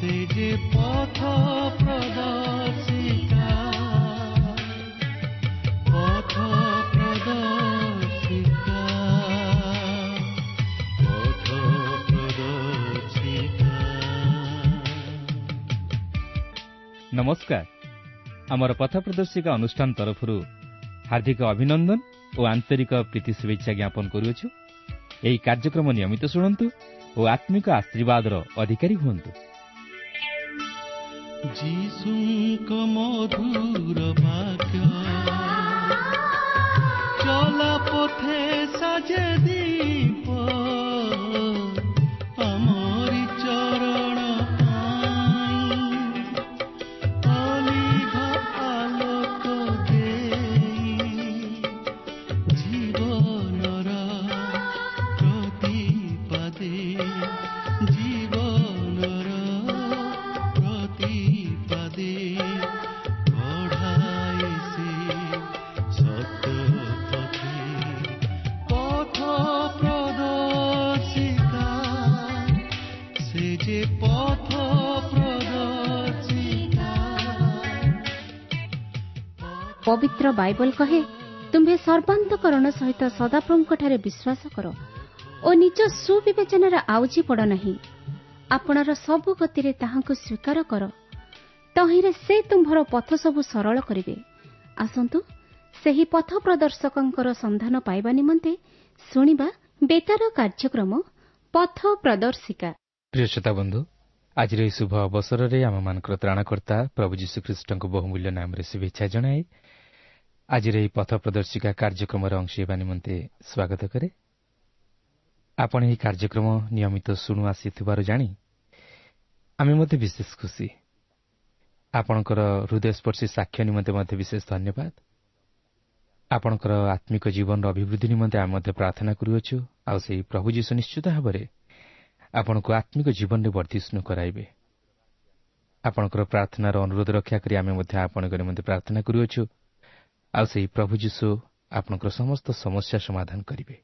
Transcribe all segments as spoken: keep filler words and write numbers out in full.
ସେ ଯେ ପଥ ପ୍ରଦର୍ଶିକା, ପଥ ପ୍ରଦର୍ଶିକା, ପଥ ପ୍ରଦର୍ଶିକା। ନମସ୍କାର। ଆମର ପଥ ପ୍ରଦର୍ଶିକା ଅନୁଷ୍ଠାନ ତରଫରୁ ହାର୍ଦ୍ଦିକ ଅଭିନନ୍ଦନ ଓ ଆନ୍ତରିକ ପ୍ରୀତି ଶୁଭେଚ୍ଛା ଜ୍ଞାପନ କରୁଅଛୁ। ଏହି କାର୍ଯ୍ୟକ୍ରମ ନିୟମିତ ଶୁଣନ୍ତୁ ଓ ଆତ୍ମିକ ଆଶୀର୍ବାଦର ଅଧିକାରୀ ହୁଅନ୍ତୁ। ଯୀଶୁଙ୍କ ମଧୁର ବାକ୍ୟ ଚଲା ପଥେ ସାଜେ ଦୀପ, ଆମରି ଚରଣ ପାଇଁ ଅଲିଭ ଆଲୋକ ଦେଇ, ଜୀବନର ପ୍ରତିପାଦେ, ଜୀବନର ପ୍ରତିପାଦେ କଢ଼ାଏ ସେ ସତ୍ୟ ପଥେ। ପଥ ପ୍ରଦର୍ଶିକା, ସେ ଯେ ପଥ ପ୍ରଦର୍ଶିକା। ପବିତ୍ର ବାଇବଲ କହେ, ତୁମ୍ଭେ ସର୍ବାନ୍ତକରଣ ସହିତ ସଦାପ୍ରଭୁଙ୍କଠାରେ ବିଶ୍ୱାସ କର ଓ ନିଜ ସୁବିବେଚନାରେ ଆଉଜି ପଡ଼ ନାହିଁ। ଆପଣାର ସବୁ ଗତିରେ ତାହାଙ୍କୁ ସ୍ୱୀକାର କର, ତହିଁରେ ସେ ତୁମ୍ଭର ପଥ ସବୁ ସରଳ କରିବେ। ଆସନ୍ତୁ ସେହି ପଥ ପ୍ରଦର୍ଶକଙ୍କର ସନ୍ଧାନ ପାଇବା ନିମନ୍ତେ ଶୁଣିବା ବେତାର କାର୍ଯ୍ୟକ୍ରମ ପଥ ପ୍ରଦର୍ଶିକା। ପ୍ରିୟ ଶ୍ରୋତା ବନ୍ଧୁ, ଆଜିର ଏହି ଶୁଭ ଅବସରରେ ଆମମାନଙ୍କର ତ୍ରାଣକର୍ତ୍ତା ପ୍ରଭୁ ଯୀଶୁଖ୍ରୀଷ୍ଟଙ୍କ ବହୁମୂଲ୍ୟ ନାମରେ ଶୁଭେଚ୍ଛା ଜଣାଇ ଆଜିର ଏହି ପଥ ପ୍ରଦର୍ଶିକା କାର୍ଯ୍ୟକ୍ରମର ଅଂଶ ହେବା ନିମନ୍ତେ ସ୍ୱାଗତ କରେ। ଆପଣ ଏହି କାର୍ଯ୍ୟକ୍ରମ ନିୟମିତ ଶୁଣୁ ଆସିଥିବାରୁ ଜାଣି ଆମେ ମଧ୍ୟ ବିଶେଷ ଖୁସି। ଆପଣଙ୍କର ହୃଦୟସ୍ପର୍ଶୀ ସାକ୍ଷ୍ୟ ନିମନ୍ତେ ମଧ୍ୟ ବିଶେଷ ଧନ୍ୟବାଦ। ଆପଣଙ୍କର ଆତ୍ମିକ ଜୀବନର ଅଭିବୃଦ୍ଧି ନିମନ୍ତେ ଆମେ ମଧ୍ୟ ପ୍ରାର୍ଥନା କରୁଅଛୁ, ଆଉ ସେହି ପ୍ରଭୁ ଯୀଶୁ ନିଶ୍ଚିତ ଭାବରେ ଆପଣଙ୍କୁ ଆତ୍ମିକ ଜୀବନରେ ବର୍ଦ୍ଧିଷ୍ଣୁ କରାଇବେ। ଆପଣଙ୍କର ପ୍ରାର୍ଥନାର ଅନୁରୋଧ ରକ୍ଷା କରି ଆମେ ମଧ୍ୟ ଆପଣଙ୍କ ନିମନ୍ତେ ପ୍ରାର୍ଥନା କରୁଅଛୁ, ଆଉ ସେହି ପ୍ରଭୁ ଯୀଶୁ ଆପଣଙ୍କର ସମସ୍ତ ସମସ୍ୟା ସମାଧାନ କରିବେ।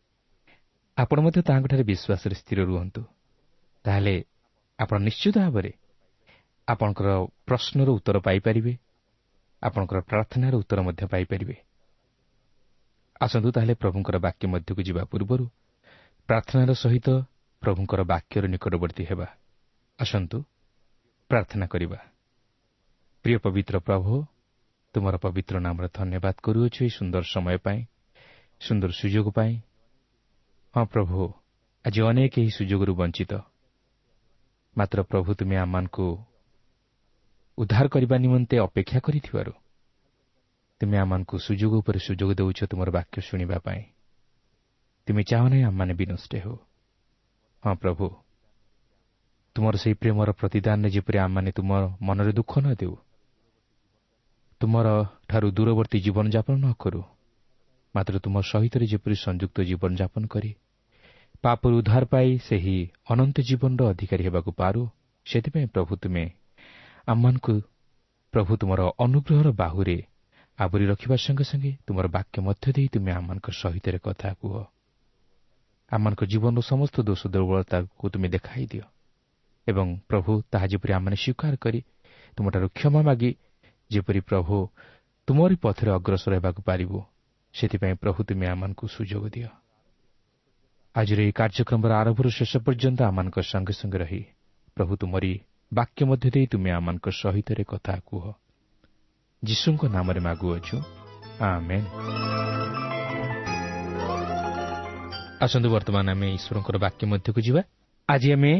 ଆପଣ ମଧ୍ୟ ତାହାଙ୍କଠାରେ ବିଶ୍ୱାସରେ ସ୍ଥିର ରୁହନ୍ତୁ, ତାହେଲେ ଆପଣ ନିଶ୍ଚିତ ଭାବରେ ଆପଣଙ୍କର ପ୍ରଶ୍ନର ଉତ୍ତର ପାଇପାରିବେ, ଆପଣଙ୍କର ପ୍ରାର୍ଥନାର ଉତ୍ତର ମଧ୍ୟ ପାଇପାରିବେ। ଆସନ୍ତୁ ତାହେଲେ ପ୍ରଭୁଙ୍କର ବାକ୍ୟ ମଧ୍ୟକୁ ଯିବା ପୂର୍ବରୁ ପ୍ରାର୍ଥନାର ସହିତ ପ୍ରଭୁଙ୍କର ବାକ୍ୟର ନିକଟବର୍ତ୍ତୀ ହେବା। ଆସନ୍ତୁ ପ୍ରାର୍ଥନା କରିବା। ପ୍ରିୟ ପବିତ୍ର ପ୍ରଭୁ, ତୁମର ପବିତ୍ର ନାମରେ ଧନ୍ୟବାଦ କରୁଅଛୁ ଏହି ସୁନ୍ଦର ସମୟ ପାଇଁ, ସୁନ୍ଦର ସୁଯୋଗ ପାଇଁ। ହଁ ପ୍ରଭୁ, ଆଜି ଅନେକ ଏହି ସୁଯୋଗରୁ ବଞ୍ଚିତ, ମାତ୍ର ପ୍ରଭୁ ତୁମେ ଆମମାନଙ୍କୁ ଉଦ୍ଧାର କରିବା ନିମନ୍ତେ ଅପେକ୍ଷା କରିଥିବାରୁ ତୁମେ ଆମମାନଙ୍କୁ ସୁଯୋଗ ଉପରେ ସୁଯୋଗ ଦେଉଛ ତୁମର ବାକ୍ୟ ଶୁଣିବା ପାଇଁ। ତୁମେ ଚାହଁ ନାହିଁ ଆମମାନେ ବିନଷ୍ଟ ହେଉ। ହଁ ପ୍ରଭୁ, ତୁମର ସେହି ପ୍ରେମର ପ୍ରତିଦାନରେ ଯେପରି ଆମମାନେ ତୁମ ମନରେ ଦୁଃଖ ନ ଦେଉ, ତୁମର ଠାରୁ ଦୂରବର୍ତ୍ତୀ ଜୀବନଯାପନ ନ କରୁ, ମାତ୍ର ତୁମ ସହିତ ଯେପରି ସଂଯୁକ୍ତ ଜୀବନଯାପନ କରି ପାପରୁ ଉଦ୍ଧାର ପାଇ ସେହି ଅନନ୍ତ ଜୀବନର ଅଧିକାରୀ ହେବାକୁ ପାରୁ, ସେଥିପାଇଁ ପ୍ରଭୁ ତୁମେ ଆମମାନଙ୍କୁ ପ୍ରଭୁ ତୁମର ଅନୁଗ୍ରହର ବାହୁରେ ଆବରି ରଖିବା ସଙ୍ଗେ ସଙ୍ଗେ ତୁମର ବାକ୍ୟ ମଧ୍ୟ ଦେଇ ତୁମେ ଆମମାନଙ୍କ ସହିତ କଥା କୁହ। ଆମମାନଙ୍କ ଜୀବନର ସମସ୍ତ ଦୋଷ ଦୁର୍ବଳତାକୁ ତୁମେ ଦେଖାଇ ଦିଅ ଏବଂ ପ୍ରଭୁ ତାହା ଯେପରି ଆମମାନେ ସ୍ୱୀକାର କରି ତୁମଠାରୁ କ୍ଷମା ମାଗି ଯେପରି ପ୍ରଭୁ ତୁମରି ପଥରେ ଅଗ୍ରସର ହେବାକୁ ପାରିବୁ, ସେଥିପାଇଁ ପ୍ରଭୁ ତୁମେ ଆମମାନଙ୍କୁ ସୁଯୋଗ ଦିଅ। ଆଜିର ଏହି କାର୍ଯ୍ୟକ୍ରମର ଆରମ୍ଭରୁ ଶେଷ ପର୍ଯ୍ୟନ୍ତ ଆମମାନଙ୍କ ସଙ୍ଗେ ସଙ୍ଗେ ରହି ପ୍ରଭୁ ତୁମରି ବାକ୍ୟ ମଧ୍ୟ ଦେଇ ତୁମେ ଆମମାନଙ୍କ ସହିତ କଥା କୁହ। ଯୀଶୁଙ୍କ ନାମରେ ମାଗୁଅଛୁ, ଆମେନ୍। ଆସନ୍ତୁ ବର୍ତ୍ତମାନ ଆମେ ଈଶ୍ୱରଙ୍କର ବାକ୍ୟ ମଧ୍ୟକୁ ଯିବା। ଆଜି ଆମେ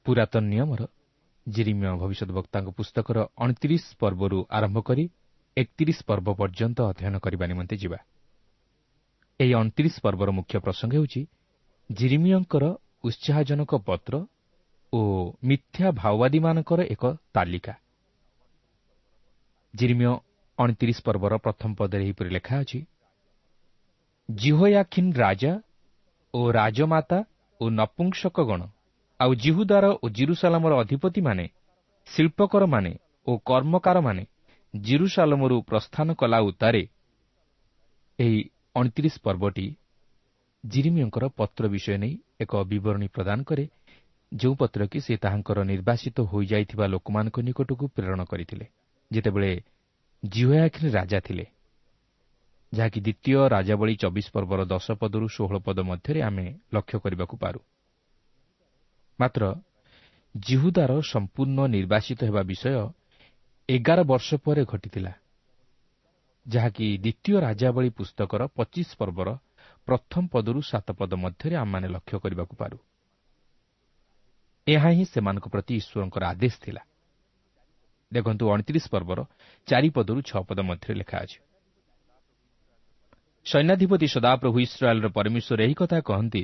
ପୁରାତନ ନିୟମର ଯିରିମିୟ ଭବିଷ୍ୟତ ବକ୍ତାଙ୍କ ପୁସ୍ତକର ଅଣତିରିଶ ପର୍ବରୁ ଆରମ୍ଭ କରି ଏକତିରିଶ ପର୍ବ ପର୍ଯ୍ୟନ୍ତ ଅଧ୍ୟୟନ କରିବା ନିମନ୍ତେ ଯିବା। ଏହି ଅଣତିରିଶ ପର୍ବର ମୁଖ୍ୟ ପ୍ରସଙ୍ଗ ହେଉଛି ଯିରିମିୟଙ୍କର ଉତ୍ସାହଜନକ ପତ୍ର ଓ ମିଥ୍ୟା ଭାଓବାଦୀମାନଙ୍କର ଏକ ତାଲିକା। ଯିରିମିୟ ଅଣତିରିଶ ପର୍ବର ପ୍ରଥମ ପଦରେ ଏହିପରି ଲେଖା ଅଛି, ଯିହୋୟାଖିନ୍ ରାଜା ଓ ରାଜମାତା ଓ ନପୁଂସକଗଣ ଆଉ ଯିହୁଦାର ଓ ଜିରୁସାଲାମର ଅଧିପତିମାନେ, ଶିଳ୍ପକରମାନେ ଓ କର୍ମକାରମାନେ ଜିରୁସାଲମରୁ ପ୍ରସ୍ଥାନ କଲା ଉତ୍ତାରେ। ଏହି ଅଣତିରିଶ ପର୍ବଟି ଯିରିମିୟଙ୍କର ପତ୍ର ବିଷୟ ନେଇ ଏକ ବିବରଣୀ ପ୍ରଦାନ କରେ, ଯେଉଁ ପତ୍ର କି ସେ ତାହାଙ୍କର ନିର୍ବାସିତ ହୋଇଯାଇଥିବା ଲୋକମାନଙ୍କ ନିକଟକୁ ପ୍ରେରଣ କରିଥିଲେ ଯେତେବେଳେ ଯିହୋୟାଖୀନ ରାଜା ଥିଲେ, ଯାହାକି ଦ୍ୱିତୀୟ ରାଜାବଳୀ ଚବିଶ ପର୍ବର ଦଶ ପଦରୁ ଷୋହଳ ପଦ ମଧ୍ୟରେ ଆମେ ଲକ୍ଷ୍ୟ କରିବାକୁ ପାରୁ। ମାତ୍ର ଜିହୁଦାର ସମ୍ପୂର୍ଣ୍ଣ ନିର୍ବାସିତ ହେବା ବିଷୟ ଏଗାର ବର୍ଷ ପରେ ଘଟିଥିଲା, ଯାହାକି ଦ୍ୱିତୀୟ ରାଜାବଳୀ ପୁସ୍ତକର ପଚିଶ ପର୍ବର ପ୍ରଥମ ପଦରୁ ସାତ ପଦ ମଧ୍ୟରେ ଆମମାନେ ଲକ୍ଷ୍ୟ କରିବାକୁ ପାରୁ। ଏହା ହିଁ ସେମାନଙ୍କ ପ୍ରତି ଈଶ୍ୱରଙ୍କର ଆଦେଶ ଥିଲା। ଦେଖନ୍ତୁ ଅଣତିରିଶ ପର୍ବର ଚାରି ପଦରୁ ଛଅ ପଦ ମଧ୍ୟରେ ଲେଖା ଅଛି, ସୈନ୍ୟାଧିପତି ସଦାପ୍ରଭୁ ଇସ୍ରାଏଲର ପରମେଶ୍ୱର ଏହି କଥା କହନ୍ତି,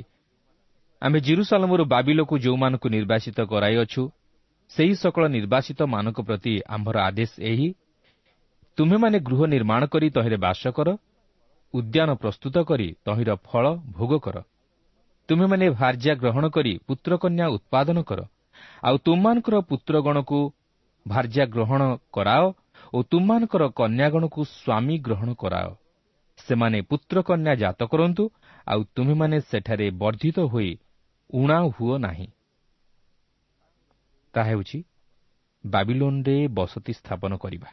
ଆମେ ଜିରୁସାଲମରୁ ବାବିଲକୁ ଯେଉଁମାନଙ୍କୁ ନିର୍ବାସିତ କରାଇଅଛୁ ସେହି ସକଳ ନିର୍ବାସିତମାନଙ୍କ ପ୍ରତି ଆମ୍ଭର ଆଦେଶ ଏହି, ତୁମ୍ଭେମାନେ ଗୃହ ନିର୍ମାଣ କରି ତହିଁରେ ବାସ କର, ଉଦ୍ୟାନ ପ୍ରସ୍ତୁତ କରି ତହିଁର ଫଳ ଭୋଗ କର। ତୁମ୍ଭେମାନେ ଭାର୍ଯ୍ୟା ଗ୍ରହଣ କରି ପୁତ୍ରକନ୍ୟା ଉତ୍ପାଦନ କର, ଆଉ ତୁମମାନଙ୍କର ପୁତ୍ରଗଣକୁ ଭାର୍ଯ୍ୟା ଗ୍ରହଣ କରାଅ ଓ ତୁମମାନଙ୍କର କନ୍ୟାଗଣକୁ ସ୍ୱାମୀ ଗ୍ରହଣ କରାଅ। ସେମାନେ ପୁତ୍ରକନ୍ୟା ଜାତ କରନ୍ତୁ, ଆଉ ତୁମ୍ଭେମାନେ ସେଠାରେ ବର୍ଦ୍ଧିତ ହୋଇ ଊଣା ହୁଅ ନାହିଁ। ତାହା ହେଉଛି ବାବିଲୋନରେ ବସତି ସ୍ଥାପନ କରିବା।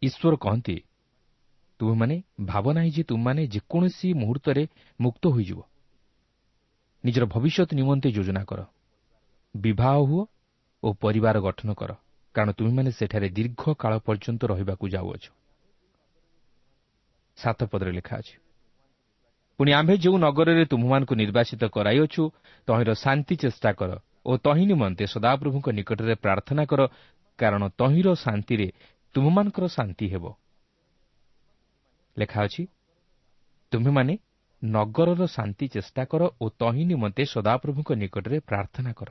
ଈଶ୍ୱର କହନ୍ତି, ତୁମେମାନେ ଭାବ ନାହିଁ ଯେ ତୁମମାନେ ଯେକୌଣସି ମୁହୂର୍ତ୍ତରେ ମୁକ୍ତ ହୋଇଯିବ। ନିଜର ଭବିଷ୍ୟତ ନିମନ୍ତେ ଯୋଜନା କର, ବିବାହ ହୁଅ ଓ ପରିବାର ଗଠନ କର, କାରଣ ତୁମେମାନେ ସେଠାରେ ଦୀର୍ଘ କାଳ ପର୍ଯ୍ୟନ୍ତ ରହିବାକୁ ଯାଉଅଛ। ସାତ ପଦରେ ଲେଖା ଅଛି, ପୁଣି ଆମ୍ଭେ ଯେଉଁ ନଗରରେ ତୁମ୍ଭମାନଙ୍କୁ ନିର୍ବାସିତ କରାଇଅଛୁ ତହିଁର ଶାନ୍ତି ଚେଷ୍ଟା କର ଓ ତହିଁ ନିମନ୍ତେ ସଦାପ୍ରଭୁଙ୍କ ନିକଟରେ ପ୍ରାର୍ଥନା କର, କାରଣ ତହିଁର ଶାନ୍ତିରେ ତୁମ୍ଭମାନଙ୍କର ଶାନ୍ତି ହେବ। ଲେଖା ଅଛି, ତୁମ୍ଭେମାନେ ନଗରର ଶାନ୍ତି ଚେଷ୍ଟା କର ଓ ତହିଁ ନିମନ୍ତେ ସଦାପ୍ରଭୁଙ୍କ ନିକଟରେ ପ୍ରାର୍ଥନା କର।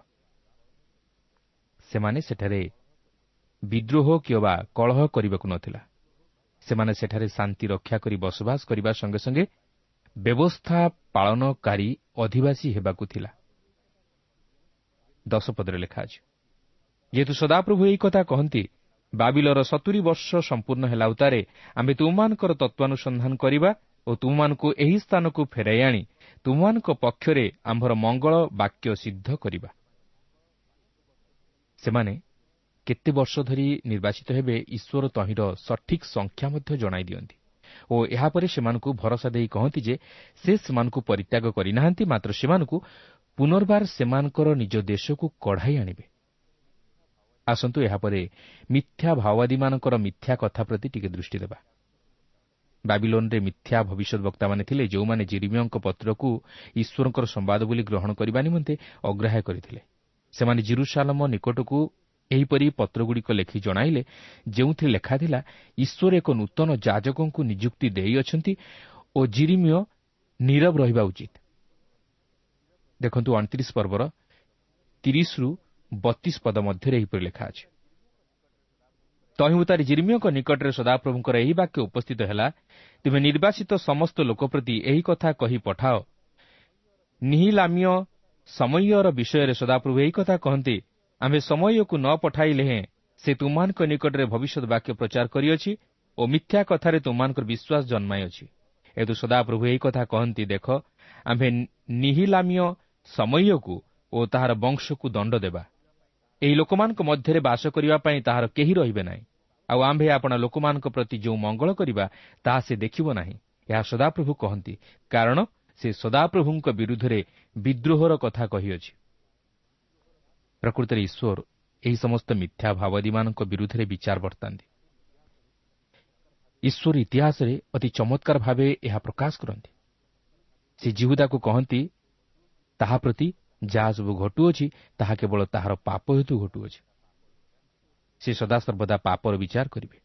ସେମାନେ ସେଠାରେ ବିଦ୍ରୋହ କିମ୍ବା କଳହ କରିବାକୁ ନଥିଲା। ସେମାନେ ସେଠାରେ ଶାନ୍ତି ରକ୍ଷା କରି ବସବାସ କରିବା ସଙ୍ଗେ ସଙ୍ଗେ ବ୍ୟବସ୍ଥା ପାଳନକାରୀ ଅଧିବାସୀ ହେବାକୁ ଥିଲା। ଦଶ ପଦରେ ଲେଖା ଅଛି, ଯେହେତୁ ସଦାପ୍ରଭୁ ଏହି କଥା କହନ୍ତି, ବାବିଲର ସତୁରି ବର୍ଷ ସମ୍ପୂର୍ଣ୍ଣ ହେଲା ଉତ୍ତାରେ ଆମେ ତୁମମାନଙ୍କର ତତ୍ତ୍ୱାନୁସନ୍ଧାନ କରିବା ଓ ତୁମମାନଙ୍କୁ ଏହି ସ୍ଥାନକୁ ଫେରାଇ ଆଣି ତୁମମାନଙ୍କ ପକ୍ଷରେ ଆମ୍ଭର ମଙ୍ଗଳ ବାକ୍ୟ ସିଦ୍ଧ କରିବା। ସେମାନେ କେତେ ବର୍ଷ ଧରି ନିର୍ବାଚିତ ହେବେ ଈଶ୍ୱର ତହିଁର ସଠିକ୍ ସଂଖ୍ୟା ମଧ୍ୟ ଜଣାଇ ଦିଅନ୍ତି ଓ ଏହାପରେ ସେମାନଙ୍କୁ ଭରସା ଦେଇ କହନ୍ତି ଯେ ସେ ସେମାନଙ୍କୁ ପରିତ୍ୟାଗ କରିନାହାନ୍ତି, ମାତ୍ର ସେମାନଙ୍କୁ ପୁନର୍ବାର ସେମାନଙ୍କର ନିଜ ଦେଶକୁ କଢ଼ାଇ ଆଣିବେ। ଆସନ୍ତୁ ଏହାପରେ ମିଥ୍ୟା ଭାଓବାଦୀମାନଙ୍କର ମିଥ୍ୟା କଥା ପ୍ରତି ଟିକେ ଦୃଷ୍ଟି ଦେବା। ବାବିଲୋନରେ ମିଥ୍ୟା ଭବିଷ୍ୟତବକ୍ତାମାନେ ଥିଲେ, ଯେଉଁମାନେ ଜିରିମିୟଙ୍କ ପତ୍ରକୁ ଈଶ୍ୱରଙ୍କର ସମ୍ବାଦ ବୋଲି ଗ୍ରହଣ କରିବା ନିମନ୍ତେ ଅଗ୍ରାହ୍ୟ କରିଥିଲେ। ସେମାନେ ଜିରୁସାଲମ ନିକଟକୁ ଏହିପରି ପତ୍ରଗୁଡ଼ିକ ଲେଖି ଜଣାଇଲେ, ଯେଉଁଥିରେ ଲେଖାଥିଲା, ଈଶ୍ୱର ଏକ ନୂତନ ଯାଜକଙ୍କୁ ନିଯୁକ୍ତି ଦେଇଅଛନ୍ତି ଓ ଜିରିମିୟ ନୀରବ ରହିବା ଉଚିତ। ଦେଖନ୍ତୁ ଅଣତିରିଶ ପର୍ବର ତିରିଶରୁ ବତିଶ ପଦ ମଧ୍ୟରେ ଏହିପରି ଲେଖା ଅଛି, ତହିଁ ଉତ୍ତାରେ ଜିରିମିୟଙ୍କ ନିକଟରେ ସଦାପ୍ରଭୁଙ୍କର ଏହି ବାକ୍ୟ ଉପସ୍ଥିତ ହେଲା, ତୁମେ ନିର୍ବାସିତ ସମସ୍ତ ଲୋକ ପ୍ରତି ଏହି କଥା କହି ପଠାଅ, ନିହିଲାମୀୟ ସମୟର ବିଷୟରେ ସଦାପ୍ରଭୁ ଏହି କଥା କହନ୍ତି, ଆମ୍ଭେ ସମୟକୁ ନ ପଠାଇଲେ ହେଁ ସେ ତୁମମାନଙ୍କ ନିକଟରେ ଭବିଷ୍ୟତ ବାକ୍ୟ ପ୍ରଚାର କରିଅଛି ଓ ମିଥ୍ୟା କଥାରେ ତୁମମାନଙ୍କର ବିଶ୍ୱାସ ଜନ୍ମାଇଅଛି। ଏହେତୁ ସଦାପ୍ରଭୁ ଏହି କଥା କହନ୍ତି, ଦେଖ, ଆମ୍ଭେ ନିହିଲାମୀୟ ସମୟକୁ ଓ ତାହାର ବଂଶକୁ ଦଣ୍ଡ ଦେବା। ଏହି ଲୋକମାନଙ୍କ ମଧ୍ୟରେ ବାସ କରିବା ପାଇଁ ତାହାର କେହି ରହିବେ ନାହିଁ, ଆଉ ଆମ୍ଭେ ଆପଣା ଲୋକମାନଙ୍କ ପ୍ରତି ଯେଉଁ ମଙ୍ଗଳ କରିବା ତାହା ସେ ଦେଖିବ ନାହିଁ। ଏହା ସଦାପ୍ରଭୁ କହନ୍ତି, କାରଣ ସେ ସଦାପ୍ରଭୁଙ୍କ ବିରୁଦ୍ଧରେ ବିଦ୍ରୋହର କଥା କହିଅଛି। ପ୍ରକୃତରେ ଈଶ୍ୱର ଏହି ସମସ୍ତ ମିଥ୍ୟା ଭାବାଦୀମାନଙ୍କ ବିରୁଦ୍ଧରେ ବିଚାର ବର୍ତ୍ତାନ୍ତି। ଈଶ୍ୱର ଇତିହାସରେ ଅତି ଚମତ୍କାର ଭାବେ ଏହା ପ୍ରକାଶ କରନ୍ତି। ସେ ଯିହୁଦାକୁ କହନ୍ତି, ତାହା ପ୍ରତି ଯାହା ସବୁ ଘଟୁଅଛି ତାହା କେବଳ ତାହାର ପାପ ହେତୁ ଘଟୁଅଛି। ସେ ସଦାସର୍ବଦା ପାପର ବିଚାର କରିବେ।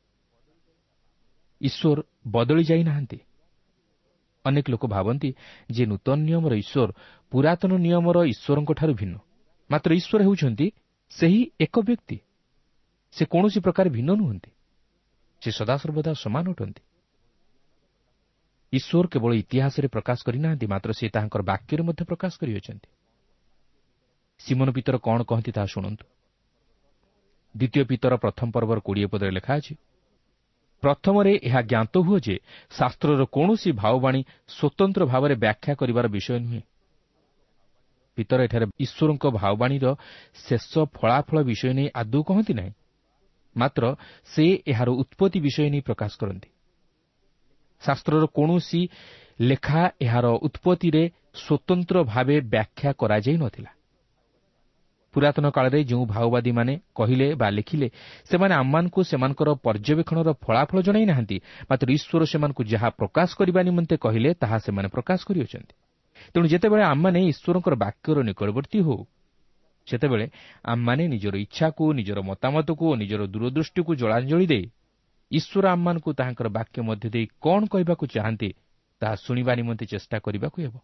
ଈଶ୍ୱର ବଦଳି ଯାଇନାହାନ୍ତି। ଅନେକ ଲୋକ ଭାବନ୍ତି ଯେ ନୂତନ ନିୟମର ଈଶ୍ୱର ପୁରାତନ ନିୟମର ଈଶ୍ୱରଙ୍କଠାରୁ ଭିନ୍ନ। ମାତ୍ର ଈଶ୍ୱର ହେଉଛନ୍ତି ସେହି ଏକ ବ୍ୟକ୍ତି, ସେ କୌଣସି ପ୍ରକାର ଭିନ୍ନ ନୁହନ୍ତି। ସେ ସଦାସର୍ବଦା ସମାନ ଅଟନ୍ତି। ଈଶ୍ୱର କେବଳ ଇତିହାସରେ ପ୍ରକାଶ କରିନାହାନ୍ତି, ମାତ୍ର ସେ ତାହାଙ୍କର ବାକ୍ୟରେ ମଧ୍ୟ ପ୍ରକାଶ କରିଅଛନ୍ତି। ସିମନ ପିତର କ'ଣ କହନ୍ତି ତାହା ଶୁଣନ୍ତୁ। ଦ୍ୱିତୀୟ ପିତର ପ୍ରଥମ ପର୍ବର କୋଡ଼ିଏ ପଦରେ ଲେଖା ଅଛି, ପ୍ରଥମରେ ଏହା ଜ୍ଞାତ ହୁଏ ଯେ ଶାସ୍ତ୍ରର କୌଣସି ଭାବବାଣୀ ସ୍ୱତନ୍ତ୍ର ଭାବରେ ବ୍ୟାଖ୍ୟା କରିବାର ବିଷୟ ନୁହେଁ। ପିତର ଏଠାରେ ଈଶ୍ୱରଙ୍କ ଭାବବାଣୀର ଶେଷ ଫଳାଫଳ ବିଷୟ ନେଇ ଆଦୌ କହନ୍ତି ନାହିଁ, ମାତ୍ର ସେ ଏହାର ଉତ୍ପତ୍ତି ବିଷୟ ନେଇ ପ୍ରକାଶ କରନ୍ତି। ଶାସ୍ତ୍ରର କୌଣସି ଲେଖା ଏହାର ଉତ୍ପତ୍ତିରେ ସ୍ୱତନ୍ତ୍ର ଭାବେ ବ୍ୟାଖ୍ୟା କରାଯାଇ ନଥିଲା। ପୁରାତନ କାଳରେ ଯେଉଁ ଭାଓବାଦୀମାନେ କହିଲେ ବା ଲେଖିଲେ, ସେମାନେ ଆମମାନଙ୍କୁ ସେମାନଙ୍କର ପର୍ଯ୍ୟବେକ୍ଷଣର ଫଳାଫଳ ଜଣାଇ ନାହାନ୍ତି, ମାତ୍ର ଈଶ୍ୱର ସେମାନଙ୍କୁ ଯାହା ପ୍ରକାଶ କରିବା ନିମନ୍ତେ କହିଲେ ତାହା ସେମାନେ ପ୍ରକାଶ କରିଅଛନ୍ତି। ତେଣୁ ଯେତେବେଳେ ଆମମାନେ ଈଶ୍ୱରଙ୍କର ବାକ୍ୟର ନିକଟବର୍ତ୍ତୀ ହେଉ, ସେତେବେଳେ ଆମମାନେ ନିଜର ଇଚ୍ଛାକୁ, ନିଜର ମତାମତକୁ ଓ ନିଜର ଦୂରଦୃଷ୍ଟିକୁ ଜଳାଞ୍ଜଳି ଦେଇ ଈଶ୍ୱର ଆମମାନଙ୍କୁ ତାହାଙ୍କର ବାକ୍ୟ ମଧ୍ୟ ଦେଇ କ'ଣ କହିବାକୁ ଚାହାନ୍ତି ତାହା ଶୁଣିବା ନିମନ୍ତେ ଚେଷ୍ଟା କରିବାକୁ ହେବ।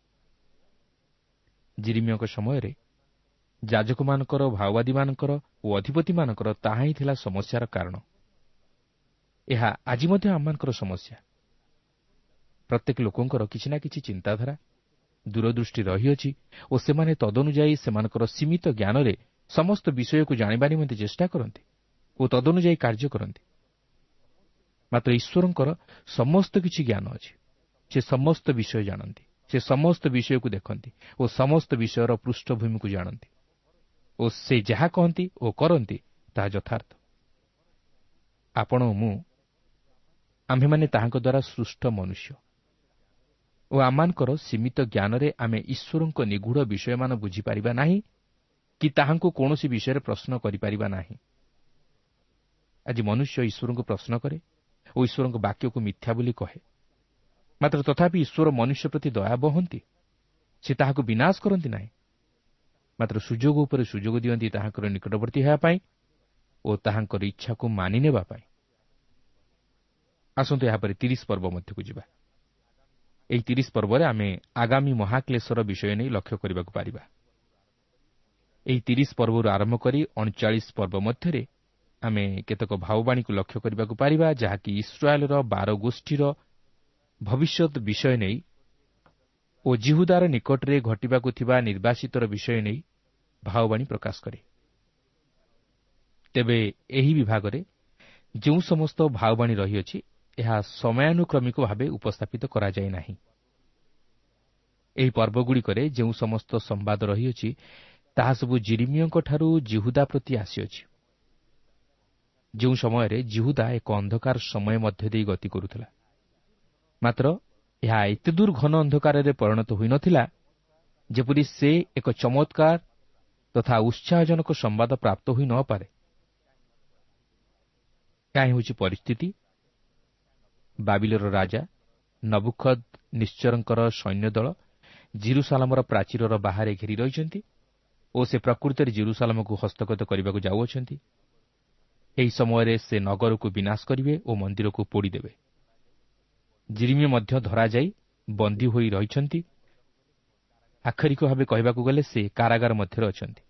ଜିରିମିୟଙ୍କ ସମୟରେ ଯାଜକମାନଙ୍କର, ଭାଓବାଦୀମାନଙ୍କର ଓ ଅଧିପତିମାନଙ୍କର ତାହା ହିଁ ଥିଲା ସମସ୍ୟାର କାରଣ। ଏହା ଆଜି ମଧ୍ୟ ଆମମାନଙ୍କର ସମସ୍ୟା। ପ୍ରତ୍ୟେକ ଲୋକଙ୍କର କିଛି ନା କିଛି ଚିନ୍ତାଧାରା, ଦୂରଦୃଷ୍ଟି ରହିଅଛି ଓ ସେମାନେ ତଦନୁଯାୟୀ ସେମାନଙ୍କର ସୀମିତ ଜ୍ଞାନରେ ସମସ୍ତ ବିଷୟକୁ ଜାଣିବା ନିମନ୍ତେ ଚେଷ୍ଟା କରନ୍ତି ଓ ତଦନୁଯାୟୀ କାର୍ଯ୍ୟ କରନ୍ତି। ମାତ୍ର ଈଶ୍ୱରଙ୍କର ସମସ୍ତ କିଛି ଜ୍ଞାନ ଅଛି। ସେ ସମସ୍ତ ବିଷୟ ଜାଣନ୍ତି, ସେ ସମସ୍ତ ବିଷୟକୁ ଦେଖନ୍ତି ଓ ସମସ୍ତ ବିଷୟର ପୃଷ୍ଠଭୂମିକୁ ଜାଣନ୍ତି ଓ ସେ ଯାହା କହନ୍ତି ଓ କରନ୍ତି ତାହା ଯଥାର୍ଥ। ଆପଣ ଓ ମୁଁ ଆମ୍ଭେମାନେ ତାହାଙ୍କ ଦ୍ୱାରା ସୃଷ୍ଟ ମନୁଷ୍ୟ ଓ ଆମମାନଙ୍କର ସୀମିତ ଜ୍ଞାନରେ ଆମେ ଈଶ୍ୱରଙ୍କ ନିଗୂଢ଼ ବିଷୟମାନ ବୁଝିପାରିବା ନାହିଁ କି ତାହାଙ୍କୁ କୌଣସି ବିଷୟରେ ପ୍ରଶ୍ନ କରିପାରିବା ନାହିଁ। ଆଜି ମନୁଷ୍ୟ ଈଶ୍ୱରଙ୍କୁ ପ୍ରଶ୍ନ କରେ ଓ ଈଶ୍ୱରଙ୍କ ବାକ୍ୟକୁ ମିଥ୍ୟା ବୋଲି କହେ, ମାତ୍ର ତଥାପି ଈଶ୍ୱର ମନୁଷ୍ୟ ପ୍ରତି ଦୟା ବହନ୍ତି। ସେ ତାହାକୁ ବିନାଶ କରନ୍ତି ନାହିଁ, ମାତ୍ର ସୁଯୋଗ ଉପରେ ସୁଯୋଗ ଦିଅନ୍ତି ତାହାଙ୍କର ନିକଟବର୍ତ୍ତୀ ହେବା ପାଇଁ ଓ ତାହାଙ୍କର ଇଚ୍ଛାକୁ ମାନି ନେବା ପାଇଁ। ଆସନ୍ତୁ ଏହାପରେ ତିରିଶ ପର୍ବ ମଧ୍ୟକୁ ଯିବା। ଏହି ତିରିଶ ପର୍ବରେ ଆମେ ଆଗାମୀ ମହାକ୍ଲେଶର ବିଷୟ ନେଇ ଲକ୍ଷ୍ୟ କରିବାକୁ ପାରିବା। ଏହି ତିରିଶ ପର୍ବରୁ ଆରମ୍ଭ କରି ଅଣଚାଳିଶ ପର୍ବ ମଧ୍ୟରେ ଆମେ କେତେକ ଭାବବାଣୀକୁ ଲକ୍ଷ୍ୟ କରିବାକୁ ପାରିବା, ଯାହାକି ଇସ୍ରାଏଲର ବାର ଗୋଷ୍ଠୀର ଭବିଷ୍ୟତ ବିଷୟ ନେଇ ଓ ଜିହୁଦାର ନିକଟରେ ଘଟିବାକୁ ଥିବା ନିର୍ବାସିତର ବିଷୟ ନେଇ ଭାବବାଣୀ ପ୍ରକାଶ କରେ। ତେବେ ଏହି ବିଭାଗରେ ଯେଉଁ ସମସ୍ତ ଭାବବାଣୀ ରହିଅଛି, ଏହା ସମୟାନୁକ୍ରମିକ ଭାବେ ଉପସ୍ଥାପିତ କରାଯାଇ ନାହିଁ। ଏହି ପର୍ବଗୁଡ଼ିକରେ ଯେଉଁ ସମସ୍ତ ସମ୍ବାଦ ରହିଅଛି, ତାହା ସବୁ ଜିରିମିୟଙ୍କଠାରୁ ଜିହୁଦା ପ୍ରତି ଆସିଅଛି, ଯେଉଁ ସମୟରେ ଜିହୁଦା ଏକ ଅନ୍ଧକାର ସମୟ ମଧ୍ୟ ଦେଇ ଗତି କରୁଥିଲା। ମାତ୍ର ଏହା ଏତେ ଦୂର ଘନ ଅନ୍ଧକାରରେ ପରିଣତ ହୋଇନଥିଲା ଯେପରି ସେ ଏକ ଚମତ୍କାର ତଥା ଉତ୍ସାହଜନକ ସମ୍ବାଦ ପ୍ରାପ୍ତ ହୋଇ ନପାରେ। ଏହା ହେଉଛି ପରିସ୍ଥିତି। ବାବିଲର ରାଜା ନବୁଖଦ ନିଶ୍ଚରଙ୍କର ସୈନ୍ୟଦଳ ଜିରୁସାଲାମର ପ୍ରାଚୀରର ବାହାରେ ଘେରି ରହିଛନ୍ତି ଓ ସେ ପ୍ରକୃତରେ ଜିରୁସାଲାମକୁ ହସ୍ତଗତ କରିବାକୁ ଯାଉଅଛନ୍ତି। ଏହି ସମୟରେ ସେ ନଗରକୁ ବିନାଶ କରିବେ ଓ ମନ୍ଦିରକୁ ପୋଡ଼ିଦେବେ। ଜିରିମିୟ ମଧ୍ୟ ଧରାଯାଇ ବନ୍ଦୀ ହୋଇ ରହିଛନ୍ତି। ଆକ୍ଷରିକ ଭାବେ କହିବାକୁ ଗଲେ ସେ କାରାଗାର ମଧ୍ୟରେ ଅଛନ୍ତି।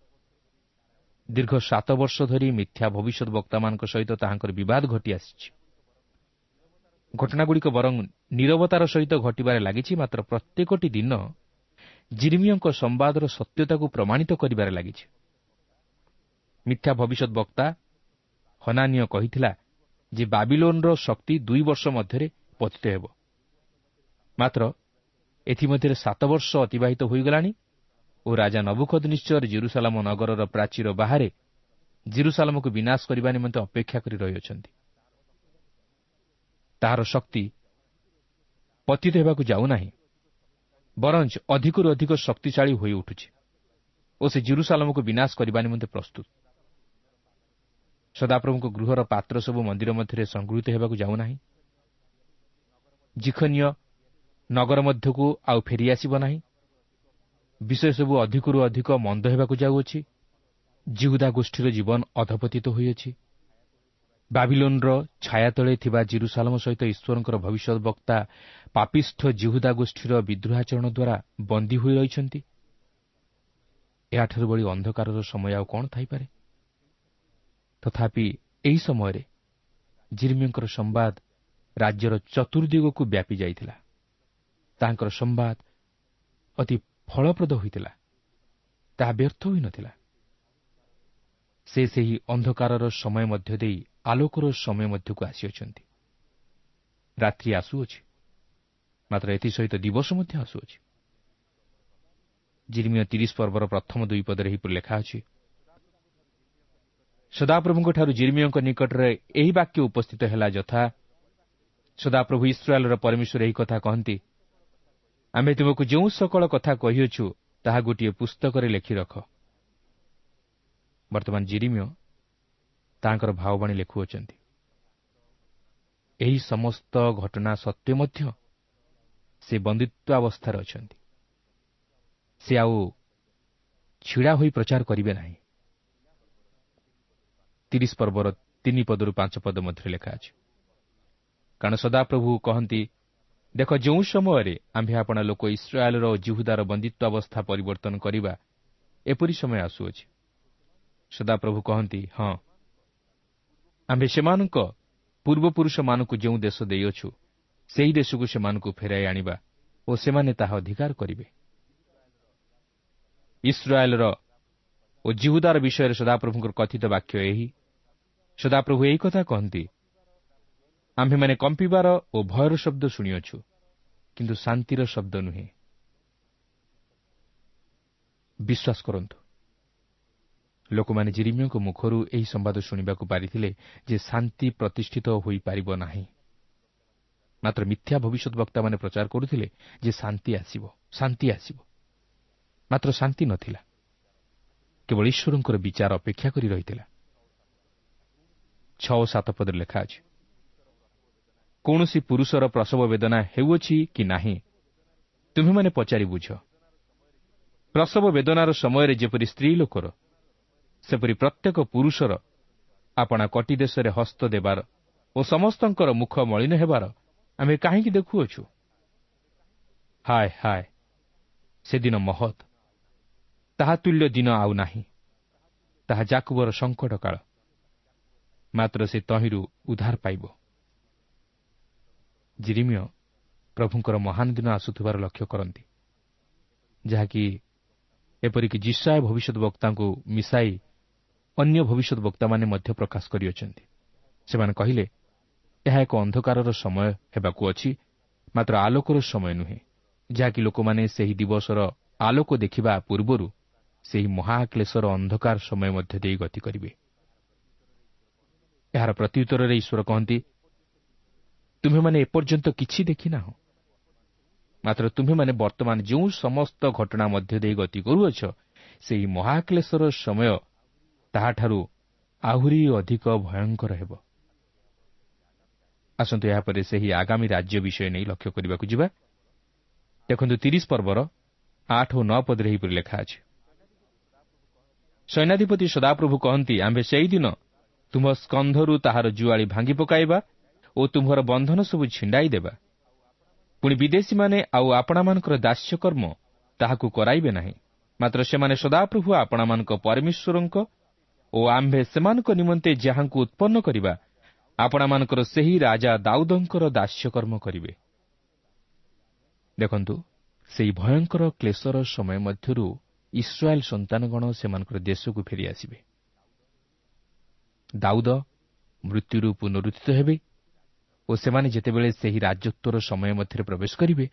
ଦୀର୍ଘ ସାତ ବର୍ଷ ଧରି ମିଥ୍ୟା ଭବିଷ୍ୟତ ବକ୍ତାମାନଙ୍କ ସହିତ ତାହାଙ୍କର ବିବାଦ ଘଟି ଆସିଛି। ଘଟଣାଗୁଡ଼ିକ ବରଂ ନିରବତାର ସହିତ ଘଟିବାରେ ଲାଗିଛି, ମାତ୍ର ପ୍ରତ୍ୟେକଟି ଦିନ ଜିରିମିୟଙ୍କ ସମ୍ବାଦର ସତ୍ୟତାକୁ ପ୍ରମାଣିତ କରିବାରେ ଲାଗିଛି। ମିଥ୍ୟା ଭବିଷ୍ୟତ ବକ୍ତା ହନାନୀୟ କହିଥିଲା ଯେ ବାବିଲୋନର ଶକ୍ତି ଦୁଇ ବର୍ଷ ମଧ୍ୟରେ ପତିତ ହେବ, ମାତ୍ର ଏଥିମଧ୍ୟରେ ସାତ ବର୍ଷ ଅତିବାହିତ ହୋଇଗଲାଣି ଓ ରାଜା ନବୁଖଦନିତ୍ସର ଜିରୁସାଲାମ ନଗରର ପ୍ରାଚୀର ବାହାରେ ଜିରୁସାଲାମକୁ ବିନାଶ କରିବା ନିମନ୍ତେ ଅପେକ୍ଷା କରି ରହିଅଛନ୍ତି। ତାହାର ଶକ୍ତି ପତିତ ହେବାକୁ ଯାଉନାହିଁ, ବରଞ୍ଚ ଅଧିକରୁ ଅଧିକ ଶକ୍ତିଶାଳୀ ହୋଇ ଉଠୁଛି ଓ ସେ ଜିରୁସାଲାମକୁ ବିନାଶ କରିବା ନିମନ୍ତେ ପ୍ରସ୍ତୁତ। ସଦାପ୍ରଭୁଙ୍କ ଗୃହର ପାତ୍ର ସବୁ ମନ୍ଦିର ମଧ୍ୟରେ ସଂଗୃହୀତ ହେବାକୁ ଯାଉନାହିଁ। ଜିଖନୀୟ ନଗର ମଧ୍ୟକୁ ଆଉ ଫେରିଆସିବ ନାହିଁ। ବିଷୟ ସବୁ ଅଧିକରୁ ଅଧିକ ମନ୍ଦ ହେବାକୁ ଯାଉଅଛି। ଜିହୁଦା ଗୋଷ୍ଠୀର ଜୀବନ ଅଧପତିତ ହୋଇଅଛି। ବାବିଲୋନର ଛାୟା ତଳେ ଥିବା ଜିରୁସାଲମ ସହିତ ଈଶ୍ୱରଙ୍କର ଭବିଷ୍ୟତ ବକ୍ତା ପାପିଷ୍ଠ ଜିହୁଦା ଗୋଷ୍ଠୀର ବିଦ୍ରୋହାଚରଣ ଦ୍ୱାରା ବନ୍ଦୀ ହୋଇ ରହିଛନ୍ତି। ଏହାଠାରୁ ଭଳି ଅନ୍ଧକାରର ସମୟ ଆଉ କ'ଣ ଥାଇପାରେ? ତଥାପି ଏହି ସମୟରେ ଜିରିମିୟଙ୍କର ସମ୍ବାଦ ରାଜ୍ୟର ଚତୁର୍ଦିଗକୁ ବ୍ୟାପି ଯାଇଥିଲା। ତାଙ୍କର ସମ୍ବାଦ ଅତି ଫଳପ୍ରଦ ହୋଇଥିଲା, ତାହା ବ୍ୟର୍ଥ ହୋଇନଥିଲା। ସେ ସେହି ଅନ୍ଧକାରର ସମୟ ମଧ୍ୟ ଦେଇ ଆଲୋକର ସମୟ ମଧ୍ୟକୁ ଆସିଅଛନ୍ତି। ରାତ୍ରି ଆସୁଅଛି, ମାତ୍ର ଏଥିସହିତ ଦିବସ ମଧ୍ୟ ଆସୁଅଛି। ଜିରିମିୟ ତିରିଶ ପର୍ବର ପ୍ରଥମ ଦୁଇ ପଦରେ ଏହିପରି ଲେଖା ଅଛି, ସଦାପ୍ରଭୁଙ୍କଠାରୁ ଜିରିମିୟଙ୍କ ନିକଟରେ ଏହି ବାକ୍ୟ ଉପସ୍ଥିତ ହେଲା, ଯଥା ସଦାପ୍ରଭୁ ଇସ୍ରାଏଲର ପରମେଶ୍ୱର ଏହି କଥା କହନ୍ତି, ଆମେ ତୁମକୁ ଯେଉଁ ସକଳ କଥା କହିଅଛୁ ତାହା ଗୋଟିଏ ପୁସ୍ତକରେ ଲେଖି ରଖ। ବର୍ତ୍ତମାନ ଜିରିମିୟ ତାଙ୍କର ଭାବବାଣୀ ଲେଖୁଅଛନ୍ତି। ଏହି ସମସ୍ତ ଘଟଣା ସତ୍ତ୍ୱେ ମଧ୍ୟ ସେ ବନ୍ଦିତ୍ୱାବସ୍ଥାରେ ଅଛନ୍ତି। ସେ ଆଉ ଛିଡ଼ା ହୋଇ ପ୍ରଚାର କରିବେ ନାହିଁ। ତିରିଶ ପର୍ବର ତିନି ପଦରୁ ପାଞ୍ଚ ପଦ ମଧ୍ୟରେ ଲେଖା ଅଛି, କାରଣ ସଦାପ୍ରଭୁ କହନ୍ତି, ଦେଖ, ଯେଉଁ ସମୟରେ ଆମ୍ଭେ ଆପଣା ଲୋକ ଇସ୍ରାଏଲର ଓ ଯିହୁଦାର ବନ୍ଦିତ୍ୱାବସ୍ଥା ପରିବର୍ତ୍ତନ କରିବା, ଏପରି ସମୟ ଆସୁଅଛି। ସଦାପ୍ରଭୁ କହନ୍ତି, ହଁ, ଆମ୍ଭେ ସେମାନଙ୍କ ପୂର୍ବପୁରୁଷମାନଙ୍କୁ ଯେଉଁ ଦେଶ ଦେଇଅଛୁ, ସେହି ଦେଶକୁ ସେମାନଙ୍କୁ ଫେରାଇ ଆଣିବା ଓ ସେମାନେ ତାହା ଅଧିକାର କରିବେ। ଇସ୍ରାଏଲର ଓ ଯିହୁଦାର ବିଷୟରେ ସଦାପ୍ରଭୁଙ୍କର କଥିତ ବାକ୍ୟ ଏହି। ସଦାପ୍ରଭୁ ଏହି କଥା କହନ୍ତି, ଆମ୍ଭେମାନେ କମ୍ପିବାର ଓ ଭୟର ଶବ୍ଦ ଶୁଣିଅଛୁ, କିନ୍ତୁ ଶାନ୍ତିର ଶବ୍ଦ ନୁହେଁ। ବିଶ୍ୱାସ କରନ୍ତୁ, ଲୋକମାନେ ଜିରିମିୟଙ୍କ ମୁଖରୁ ଏହି ସମ୍ବାଦ ଶୁଣିବାକୁ ପାରିଥିଲେ ଯେ ଶାନ୍ତି ପ୍ରତିଷ୍ଠିତ ହୋଇପାରିବ ନାହିଁ। ମାତ୍ର ମିଥ୍ୟା ଭବିଷ୍ୟତ ବକ୍ତାମାନେ ପ୍ରଚାର କରୁଥିଲେ ଯେ ଶାନ୍ତି ଆସିବ, ଶାନ୍ତି ଆସିବ। ମାତ୍ର ଶାନ୍ତି ନଥିଲା, କେବଳ ଈଶ୍ୱରଙ୍କର ବିଚାର ଅପେକ୍ଷା କରି ରହିଥିଲା। ଛଅ ଓ ସାତ ପଦରେ ଲେଖା ଅଛି, କୌଣସି ପୁରୁଷର ପ୍ରସବ ବେଦନା ହେଉଅଛି କି ନାହିଁ, ତୁମ୍ଭେମାନେ ପଚାରି ବୁଝ। ପ୍ରସବ ବେଦନାର ସମୟରେ ଯେପରି ସ୍ତ୍ରୀ ଲୋକର, ସେପରି ପ୍ରତ୍ୟେକ ପୁରୁଷର ଆପଣା କଟି ଦେଶରେ ହସ୍ତ ଦେବାର ଓ ସମସ୍ତଙ୍କର ମୁଖ ମଳିନ ହେବାର ଆମେ କାହିଁକି ଦେଖୁଅଛୁ? ହାୟ ହାୟ, ସେଦିନ ମହତ୍, ତାହା ତୁଲ୍ୟ ଦିନ ଆଉ ନାହିଁ। ତାହା ଯାକୁବର ସଙ୍କଟ କାଳ, ମାତ୍ର ସେ ତହିଁରୁ ଉଦ୍ଧାର ପାଇବ। ଜିରିମିୟ ପ୍ରଭୁଙ୍କର ମହାନ ଦିନ ଆସୁଥିବାର ଲକ୍ଷ୍ୟ କରନ୍ତି, ଯାହାକି ଏପରିକି ଯିଶାଇୟ ଭବିଷ୍ୟତ ବକ୍ତାଙ୍କୁ ମିଶାଇ ଅନ୍ୟ ଭବିଷ୍ୟତ ବକ୍ତାମାନେ ମଧ୍ୟ ପ୍ରକାଶ କରିଅଛନ୍ତି। ସେମାନେ କହିଲେ, ଏହା ଏକ ଅନ୍ଧକାରର ସମୟ ହେବାକୁ ଅଛି, ମାତ୍ର ଆଲୋକର ସମୟ ନୁହେଁ, ଯାହାକି ଲୋକମାନେ ସେହି ଦିବସର ଆଲୋକ ଦେଖିବା ପୂର୍ବରୁ ସେହି ମହାକ୍ଲେଶର ଅନ୍ଧକାର ସମୟ ମଧ୍ୟ ଦେଇ ଗତି କରିବେ। ଏହାର ପ୍ରତ୍ୟୁତ୍ତରରେ ଈଶ୍ୱର କହନ୍ତି, ତୁମ୍ଭେମାନେ ଏପର୍ଯ୍ୟନ୍ତ କିଛି ଦେଖିନାହଁ, ମାତ୍ର ତୁମ୍ଭେମାନେ ବର୍ତ୍ତମାନ ଯେଉଁ ସମସ୍ତ ଘଟଣା ମଧ୍ୟ ଦେଇ ଗତି କରୁଅଛ, ସେହି ମହାକ୍ଲେଶର ସମୟ ତାହାଠାରୁ ଆହୁରି ଅଧିକ ଭୟଙ୍କର ହେବ। ଆସନ୍ତୁ ଏହାପରେ ସେହି ଆଗାମୀ ରାଜ୍ୟ ବିଷୟ ନେଇ ଲକ୍ଷ୍ୟ କରିବାକୁ ଯିବା। ଦେଖନ୍ତୁ, ତିରିଶ ପର୍ବର ଆଠ ଓ ନଅ ପଦରେ ଏହିପରି ଲେଖା ଅଛି, ସୈନ୍ୟାଧିପତି ସଦାପ୍ରଭୁ କହନ୍ତି, ଆମ୍ଭେ ସେହିଦିନ ତୁମ୍ଭ ସ୍କନ୍ଧରୁ ତାହାର ଜୁଆଳି ଭାଙ୍ଗି ପକାଇବା ଓ ତୁମ୍ଭର ବନ୍ଧନ ସବୁ ଛିଣ୍ଡାଇ ଦେବା। ପୁଣି ବିଦେଶୀମାନେ ଆଉ ଆପଣାମାନଙ୍କର ଦାସ୍ୟକର୍ମ ତାହାକୁ କରାଇବେ ନାହିଁ, ମାତ୍ର ସେମାନେ ସଦାପ୍ରଭୁ ଆପଣାମାନଙ୍କ ପରମେଶ୍ୱରଙ୍କ ଓ ଆମ୍ଭେ ସେମାନଙ୍କ ନିମନ୍ତେ ଯାହାଙ୍କୁ ଉତ୍ପନ୍ନ କରିବା, ଆପଣାମାନଙ୍କର ସେହି ରାଜା ଦାଉଦଙ୍କର ଦାସ୍ୟକର୍ମ କରିବେ। ଦେଖନ୍ତୁ, ସେହି ଭୟଙ୍କର କ୍ଲେଶର ସମୟ ମଧ୍ୟରୁ ଇସ୍ରାଏଲ ସନ୍ତାନଗଣ ସେମାନଙ୍କର ଦେଶକୁ ଫେରିଆସିବେ। ଦାଉଦ ମୃତ୍ୟୁରୁ ପୁନରୁତ୍ଥିତ ହେବେ ଓ ସେମାନେ ଯେତେବେଳେ ସେହି ରାଜତ୍ୱର ସମୟ ମଧ୍ୟରେ ପ୍ରବେଶ କରିବେ,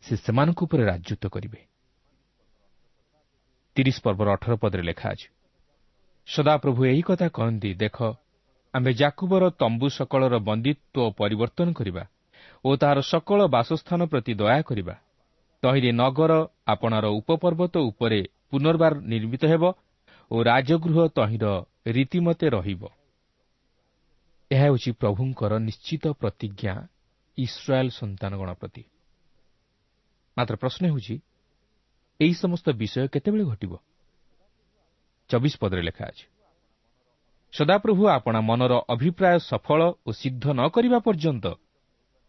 ସେ ସେମାନଙ୍କ ଉପରେ ରାଜତ୍ୱ କରିବେ। ତିରିଶ ପର୍ବର ଅଠର ପଦରେ ଲେଖା ଅଛି, ସଦାପ୍ରଭୁ ଏହି କଥା କହନ୍ତି, ଦେଖ, ଆମ୍ଭେ ଯାକୁବର ତମ୍ବୁ ସକଳର ବନ୍ଦିତ୍ୱ ପରିବର୍ତ୍ତନ କରିବା ଓ ତାହାର ସକଳ ବାସସ୍ଥାନ ପ୍ରତି ଦୟା କରିବା। ତହିଁରେ ନଗର ଆପଣାର ଉପପର୍ବତ ଉପରେ ପୁନର୍ବାର ନିର୍ମିତ ହେବ ଓ ରାଜଗୃହ ତହିଁର ରୀତିମତେ ରହିବ। ଏହା ହେଉଛି ପ୍ରଭୁଙ୍କର ନିଶ୍ଚିତ ପ୍ରତିଜ୍ଞା ଇସ୍ରାଏଲ ସନ୍ତାନଗଣ ପ୍ରତି। ମାତ୍ର ପ୍ରଶ୍ନ ହେଉଛି, ଏହି ସମସ୍ତ ବିଷୟ କେତେବେଳେ ଘଟିବ? ଚବିଶ ପଦରେ ଲେଖା ଅଛି, ସଦାପ୍ରଭୁ ଆପଣା ମନର ଅଭିପ୍ରାୟ ସଫଳ ଓ ସିଦ୍ଧ ନ କରିବା ପର୍ଯ୍ୟନ୍ତ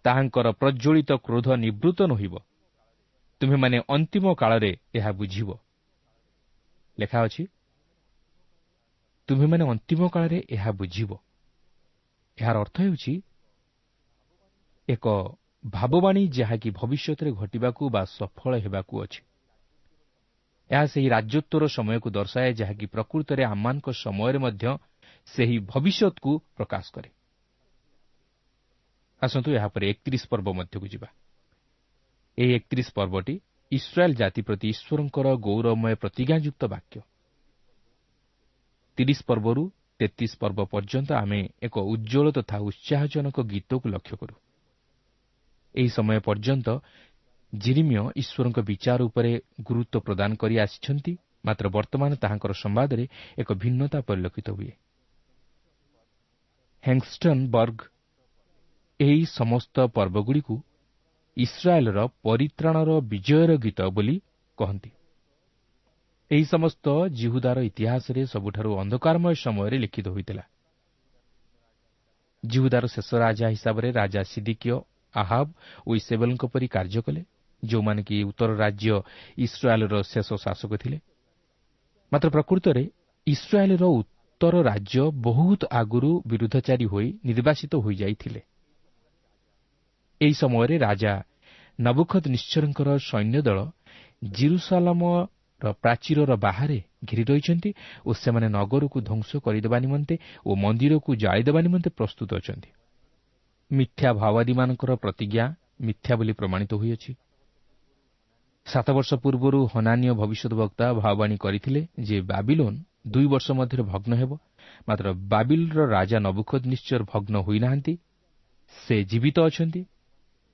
ତାହାଙ୍କର ପ୍ରଜ୍ୱଳିତ କ୍ରୋଧ ନିବୃତ୍ତ ନୋହିବ। ତୁମ୍ଭେମାନେ ଅନ୍ତିମ କାଳରେ ଏହା ବୁଝିବ। ଲେଖା ଅଛି, ତୁମ୍ଭେମାନେ ଅନ୍ତିମ କାଳରେ ଏହା ବୁଝିବ। ଏହାର ଅର୍ଥ ହେଉଛି ଏକ ଭାବବାଣୀ ଯାହାକି ଭବିଷ୍ୟତରେ ଘଟିବାକୁ ବା ସଫଳ ହେବାକୁ ଅଛି। ଏହା ସେହି ରାଜତ୍ୱର ସମୟକୁ ଦର୍ଶାଏ, ଯାହାକି ପ୍ରକୃତରେ ଆମମାନଙ୍କ ସମୟରେ ମଧ୍ୟ ସେହି ଭବିଷ୍ୟତକୁ ପ୍ରକାଶ କରେ। ଆସନ୍ତୁ ଏହାପରେ ଏକତିରିଶ ପର୍ବ ମଧ୍ୟକୁ ଯିବା। ଏହି ଏକତିରିଶ ପର୍ବଟି ଇସ୍ରାଏଲ୍ ଜାତି ପ୍ରତି ଈଶ୍ୱରଙ୍କର ଗୌରବମୟ ପ୍ରତିଜ୍ଞାଯୁକ୍ତ ବାକ୍ୟ। ତିରିଶ ପର୍ବରୁ ତେତିଶ ପର୍ବ ପର୍ଯ୍ୟନ୍ତ ଆମେ ଏକ ଉଜ୍ଜ୍ୱଳ ତଥା ଉତ୍ସାହଜନକ ଗୀତକୁ ଲକ୍ଷ୍ୟ କରୁ। ଏହି ସମୟ ପର୍ଯ୍ୟନ୍ତ ଜିରିମିୟ ଈଶ୍ୱରଙ୍କ ବିଚାର ଉପରେ ଗୁରୁତ୍ୱ ପ୍ରଦାନ କରି ଆସିଛନ୍ତି, ମାତ୍ର ବର୍ତ୍ତମାନ ତାହାଙ୍କର ସମ୍ବାଦରେ ଏକ ଭିନ୍ନତା ପରିଲକ୍ଷିତ ହୁଏ। ହେଙ୍ଗଷ୍ଟନ୍ ବର୍ଗ ଏହି ସମସ୍ତ ପର୍ବଗୁଡ଼ିକୁ ଇସ୍ରାଏଲ୍ର ପରିତ୍ରାଣର ବିଜୟର ଗୀତ ବୋଲି କହନ୍ତି। ଏହି ସମସ୍ତ ଜିହୁଦାର ଇତିହାସରେ ସବୁଠାରୁ ଅନ୍ଧକାରମୟ ସମୟରେ ଲିଖିତ ହୋଇଥିଲା। ଜିହୁଦାର ଶେଷ ରାଜା ହିସାବରେ ରାଜା ସିଦିକିୟ ଆହାବ ଓ ଇସେବେଲଙ୍କ ପରି କାର୍ଯ୍ୟ କଲେ, ଯେଉଁମାନେ କି ଉତ୍ତର ରାଜ୍ୟ ଇସ୍ରାଏଲ୍ର ଶେଷ ଶାସକ ଥିଲେ। ମାତ୍ର ପ୍ରକୃତରେ ଇସ୍ରାଏଲ୍ର ଉତ୍ତର ରାଜ୍ୟ ବହୁତ ଆଗରୁ ବିରୁଦ୍ଧଚାରୀ ହୋଇ ନିର୍ବାସିତ ହୋଇଯାଇଥିଲେ। ଏହି ସମୟରେ ରାଜା ନବୁଖଦନିତ୍ସରଙ୍କର ସୈନ୍ୟଦଳ ଜିରୁସାଲାମର ପ୍ରାଚୀରର ବାହାରେ ଘେରି ରହିଛନ୍ତି ଓ ସେମାନେ ନଗରକୁ ଧ୍ୱଂସ କରିଦେବା ନିମନ୍ତେ ଓ ମନ୍ଦିରକୁ ଜାଳିଦେବା ନିମନ୍ତେ ପ୍ରସ୍ତୁତ ଅଛନ୍ତି। ମିଥ୍ୟା ଭାଓବାଦୀମାନଙ୍କର ପ୍ରତିଜ୍ଞା ମିଥ୍ୟା ବୋଲି ପ୍ରମାଣିତ ହୋଇଅଛି। ସାତ ବର୍ଷ ପୂର୍ବରୁ ହନାନୀୟ ଭବିଷ୍ୟତବକ୍ତା ଭାବବାଣୀ କରିଥିଲେ ଯେ ବାବିଲୋନ ଦୁଇ ବର୍ଷ ମଧ୍ୟରେ ଭଗ୍ନ ହେବ, ମାତ୍ର ବାବିଲର ରାଜା ନବୁଖଦନିତ୍ସର ଭଗ୍ନ ହୋଇନାହାନ୍ତି। ସେ ଜୀବିତ ଅଛନ୍ତି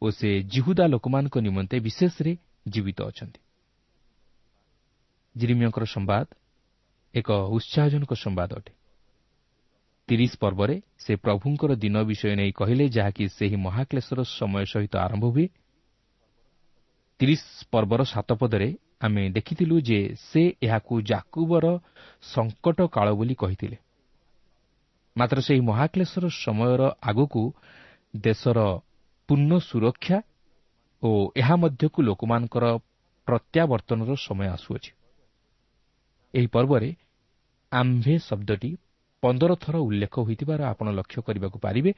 ଓ ସେ ଜିହୁଦା ଲୋକମାନଙ୍କ ନିମନ୍ତେ ବିଶେଷରେ ଜୀବିତ ଅଛନ୍ତି। ଜିରିମିୟଙ୍କର ସମ୍ବାଦ ଏକ ଉତ୍ସାହଜନକ ସମ୍ବାଦ ଅଟେ। ତିରିଶ ପର୍ବରେ ସେ ପ୍ରଭୁଙ୍କର ଦିନ ବିଷୟ ନେଇ କହିଲେ, ଯାହାକି ସେହି ମହାକ୍ଲେଶର ସମୟ ସହିତ ଆରମ୍ଭ ହୁଏ। ତିରିଶ ପର୍ବର ସାତ ପଦରେ ଆମେ ଦେଖିଥିଲୁ ଯେ ସେ ଏହାକୁ ଜାକୁବର ସଙ୍କଟ କାଳ ବୋଲି କହିଥିଲେ। ମାତ୍ର ସେହି ମହାକ୍ଲେଶର ସମୟର ଆଗକୁ ଦେଶର ପୂର୍ଣ୍ଣ ସୁରକ୍ଷା ଓ ଏହା ମଧ୍ୟକୁ ଲୋକମାନଙ୍କର ପ୍ରତ୍ୟାବର୍ତ୍ତନର ସମୟ ଆସୁଅଛି। ଏହି ପର୍ବରେ ଆମ୍ଭେ ଶବ୍ଦଟି ପନ୍ଦର ଥର ଉଲ୍ଲେଖ ହୋଇଥିବାର ଆପଣ ଲକ୍ଷ୍ୟ କରିବାକୁ ପାରିବେ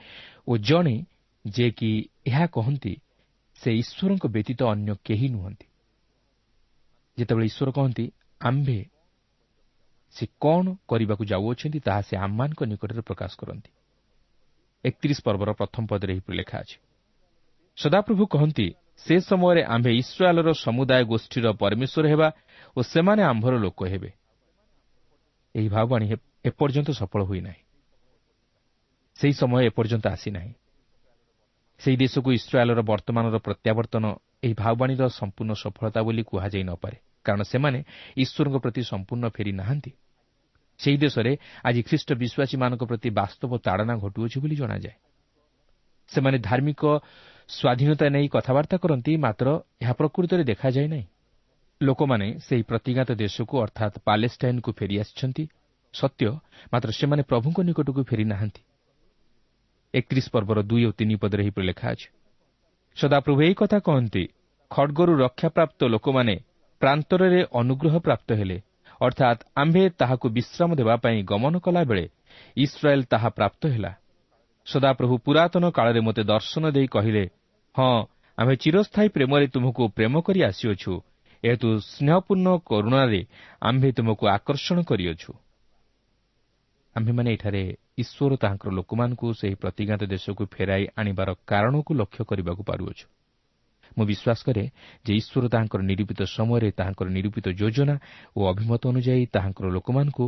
ଓ ଜଣେ ଯେ କି ଏହା କହନ୍ତି ସେ ଈଶ୍ୱରଙ୍କ ବ୍ୟତୀତ ଅନ୍ୟ କେହି ନୁହନ୍ତି। ଯେତେବେଳେ ଈଶ୍ୱର କହନ୍ତି ଆମ୍ଭେ, ସେ କ'ଣ କରିବାକୁ ଯାଉଅଛନ୍ତି ତାହା ସେ ଆମମାନଙ୍କ ନିକଟରେ ପ୍ରକାଶ କରନ୍ତି। ଏକତିରିଶ ପର୍ବର ପ୍ରଥମ ପଦରେ ଏହିପରି ଲେଖା ଅଛି, ସଦାପ୍ରଭୁ କହନ୍ତି, ସେ ସମୟରେ ଆମ୍ଭେ ଇସ୍ରାଏଲର ସମୁଦାୟ ଗୋଷ୍ଠୀର ପରମେଶ୍ୱର ହେବା ଓ ସେମାନେ ଆମ୍ଭର ଲୋକ ହେବେ। ଏହି ଭାବବାଣୀ ଏପର୍ଯ୍ୟନ୍ତ ସଫଳ ହୋଇନାହିଁ। ସେହି ସମୟ ଏପର୍ଯ୍ୟନ୍ତ ଆସିନାହିଁ। ସେହି ଦେଶକୁ ଇସ୍ରାଏଲର ବର୍ତ୍ତମାନର ପ୍ରତ୍ୟାବର୍ତ୍ତନ ଏହି ଭାବବାଣୀର ସମ୍ପୂର୍ଣ୍ଣ ସଫଳତା ବୋଲି କୁହାଯାଇ ନପାରେ, କାରଣ ସେମାନେ ଈଶ୍ୱରଙ୍କ ପ୍ରତି ସମ୍ପୂର୍ଣ୍ଣ ଫେରି ନାହାନ୍ତି। ସେହି ଦେଶରେ ଆଜି ଖ୍ରୀଷ୍ଟ ବିଶ୍ୱାସୀମାନଙ୍କ ପ୍ରତି ବାସ୍ତବ ତାଡ଼ନା ଘଟୁଅଛି ବୋଲି ଜଣାଯାଏ। ସେମାନେ ଧାର୍ମିକ ସ୍ୱାଧୀନତା ନେଇ କଥାବାର୍ତ୍ତା କରନ୍ତି, ମାତ୍ର ଏହା ପ୍ରକୃତରେ ଦେଖାଯାଏ ନାହିଁ। ଲୋକମାନେ ସେହି ପ୍ରତିଜ୍ଞାତ ଦେଶକୁ ଅର୍ଥାତ୍ ପାଲେଷ୍ଟାଇନ୍କୁ ଫେରିଆସିଛନ୍ତି ସତ୍ୟ, ମାତ୍ର ସେମାନେ ପ୍ରଭୁଙ୍କ ନିକଟକୁ ଫେରି ନାହାନ୍ତି। ଏକତିରିଶ ପର୍ବର ଦୁଇ ଓ ତିନି ପଦରେ ଏହିପରି ଲେଖା ଅଛି, ସଦାପ୍ରଭୁ ଏହି କଥା କହନ୍ତି, ଖଡ଼ଗରୁ ରକ୍ଷାପ୍ରାପ୍ତ ଲୋକମାନେ ପ୍ରାନ୍ତରରେ ଅନୁଗ୍ରହ ପ୍ରାପ୍ତ ହେଲେ, ଅର୍ଥାତ୍ ଆମ୍ଭେ ତାହାକୁ ବିଶ୍ରାମ ଦେବା ପାଇଁ ଗମନ କଲାବେଳେ ଇସ୍ରାଏଲ୍ ତାହା ପ୍ରାପ୍ତ ହେଲା। ସଦାପ୍ରଭୁ ପୁରାତନ କାଳରେ ମୋତେ ଦର୍ଶନ ଦେଇ କହିଲେ, ହଁ, ଆମ୍ଭେ ଚିରସ୍ଥାୟୀ ପ୍ରେମରେ ତୁମକୁ ପ୍ରେମ କରି ଆସିଅଛୁ, ଏହେତୁ ସ୍ନେହପୂର୍ଣ୍ଣ କରୁଣାରେ ଆମ୍ଭେ ତୁମକୁ ଆକର୍ଷଣ କରିଅଛୁ। ଆମ୍ଭେମାନେ ଏଠାରେ ଈଶ୍ୱର ତାହାଙ୍କର ଲୋକମାନଙ୍କୁ ସେହି ପ୍ରତିଜ୍ଞାତ ଦେଶକୁ ଫେରାଇ ଆଣିବାର କାରଣକୁ ଲକ୍ଷ୍ୟ କରିବାକୁ ପାରୁଅଛୁ। ମୁଁ ବିଶ୍ୱାସ କରେ ଯେ ଈଶ୍ୱର ତାହାଙ୍କର ନିରୂପିତ ସମୟରେ ତାହାଙ୍କର ନିରୂପିତ ଯୋଜନା ଓ ଅଭିମତ ଅନୁଯାୟୀ ତାହାଙ୍କର ଲୋକମାନଙ୍କୁ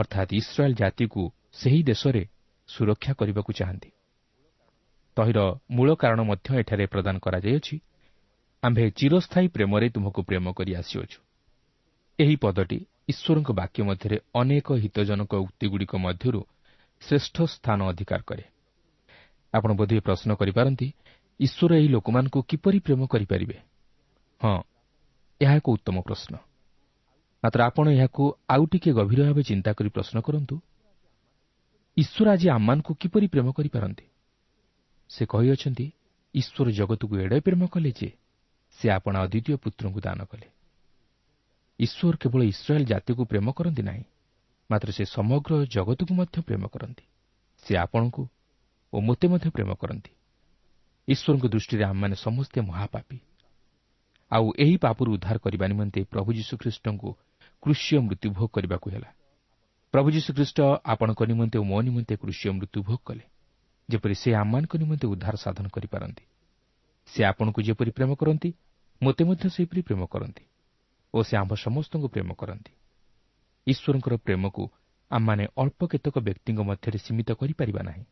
ଅର୍ଥାତ୍ ଇସ୍ରାଏଲ୍ ଜାତିକୁ ସେହି ଦେଶରେ ସୁରକ୍ଷା କରିବାକୁ ଚାହାନ୍ତି। ତହିଁର ମୂଳ କାରଣ ମଧ୍ୟ ଏଠାରେ ପ୍ରଦାନ କରାଯାଇଅଛି, ଆମ୍ଭେ ଚିରସ୍ଥାୟୀ ପ୍ରେମରେ ତୁମକୁ ପ୍ରେମ କରି ଆସିଅଛୁ। ଏହି ପଦଟି ଈଶ୍ୱରଙ୍କ ବାକ୍ୟ ମଧ୍ୟରେ ଅନେକ ହିତଜନକ ଉକ୍ତିଗୁଡ଼ିକ ମଧ୍ୟରୁ ଶ୍ରେଷ୍ଠ ସ୍ଥାନ ଅଧିକାର କରେ। ଆପଣ ବୋଧହୁଏ ପ୍ରଶ୍ନ କରିପାରନ୍ତି, ଈଶ୍ୱର ଏହି ଲୋକମାନଙ୍କୁ କିପରି ପ୍ରେମ କରିପାରିବେ? ହଁ, ଏହା ଏକ ଉତ୍ତମ ପ୍ରଶ୍ନ। ମାତ୍ର ଆପଣ ଏହାକୁ ଆଉ ଟିକିଏ ଗଭୀର ଭାବେ ଚିନ୍ତା କରି ପ୍ରଶ୍ନ କରନ୍ତୁ, ଈଶ୍ୱର ଆଜି ଆମମାନଙ୍କୁ କିପରି ପ୍ରେମ କରିପାରନ୍ତି? ସେ କହିଅଛନ୍ତି, ଈଶ୍ୱର ଜଗତକୁ ଏଡ଼େ ପ୍ରେମ କଲେ ଯେ ସେ ଆପଣା ଅଦ୍ୱିତୀୟ ପୁତ୍ରଙ୍କୁ ଦାନ କଲେ। ଈଶ୍ୱର କେବଳ ଇସ୍ରାଏଲ୍ ଜାତିକୁ ପ୍ରେମ କରନ୍ତି ନାହିଁ, ମାତ୍ର ସେ ସମଗ୍ର ଜଗତକୁ ମଧ୍ୟ ପ୍ରେମ କରନ୍ତି। ସେ ଆପଣଙ୍କୁ ଓ ମୋତେ ମଧ୍ୟ ପ୍ରେମ କରନ୍ତି। ଈଶ୍ୱରଙ୍କ ଦୃଷ୍ଟିରେ ଆମମାନେ ସମସ୍ତେ ମହାପାପୀ, ଆଉ ଏହି ପାପରୁ ଉଦ୍ଧାର କରିବା ନିମନ୍ତେ ପ୍ରଭୁ ଯୀଶୁଖ୍ରୀଷ୍ଟଙ୍କୁ କୃଷୀୟ ମୃତ୍ୟୁଭୋଗ କରିବାକୁ ହେଲା। ପ୍ରଭୁ ଯୀଶୁଖ୍ରୀଷ୍ଟ ଆପଣଙ୍କ ନିମନ୍ତେ ଓ ମୋ ନିମନ୍ତେ କୃଷୀୟ ମୃତ୍ୟୁଭୋଗ କଲେ, ଯେପରି ସେ ଆମମାନଙ୍କ ନିମନ୍ତେ ଉଦ୍ଧାର ସାଧନ କରିପାରନ୍ତି। ସେ ଆପଣଙ୍କୁ ଯେପରି ପ୍ରେମ କରନ୍ତି, ମୋତେ ମଧ୍ୟ ସେହିପରି ପ୍ରେମ କରନ୍ତି ଓ ସେ ଆମ୍ଭ ସମସ୍ତଙ୍କୁ ପ୍ରେମ କରନ୍ତି। ଈଶ୍ୱରଙ୍କର ପ୍ରେମକୁ ଆମମାନେ ଅଳ୍ପ କେତେକ ବ୍ୟକ୍ତିଙ୍କ ମଧ୍ୟରେ ସୀମିତ କରିପାରିବା ନାହିଁ,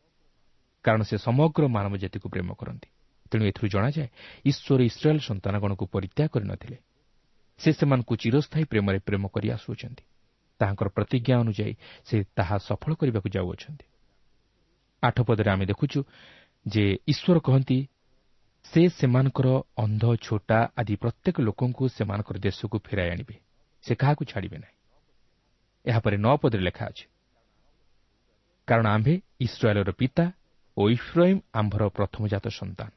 କାରଣ ସେ ସମଗ୍ର ମାନବ ଜାତିକୁ ପ୍ରେମ କରନ୍ତି। ତେଣୁ ଏଥିରୁ ଜଣାଯାଏ ଈଶ୍ୱର ଇସ୍ରାଏଲ୍ ସନ୍ତାନଗଣକୁ ପରିତ୍ୟାଗ କରିନଥିଲେ। ସେ ସେମାନଙ୍କୁ ଚିରସ୍ଥାୟୀ ପ୍ରେମରେ ପ୍ରେମ କରି ଆସୁଅଛନ୍ତି। ତାହାଙ୍କର ପ୍ରତିଜ୍ଞା ଅନୁଯାୟୀ ସେ ତାହା ସଫଳ କରିବାକୁ ଯାଉଅଛନ୍ତି। ଆଠ ପଦରେ ଆମେ ଦେଖୁଛୁ ଯେ ଈଶ୍ୱର କହନ୍ତି, ସେ ସେମାନଙ୍କର ଅନ୍ଧ, ଛୋଟା ଆଦି ପ୍ରତ୍ୟେକ ଲୋକଙ୍କୁ ସେମାନଙ୍କର ଦେଶକୁ ଫେରାଇ ଆଣିବେ, ସେ କାହାକୁ ଛାଡ଼ିବେ ନାହିଁ। ଏହାପରେ ନଅ ପଦରେ ଲେଖା ଅଛି, କାରଣ ଆମ୍ଭେ ଇସ୍ରାଏଲର ପିତା ଓ ଇଫ୍ରାଇମ୍ ଆମ୍ଭର ପ୍ରଥମଜାତ ସନ୍ତାନ।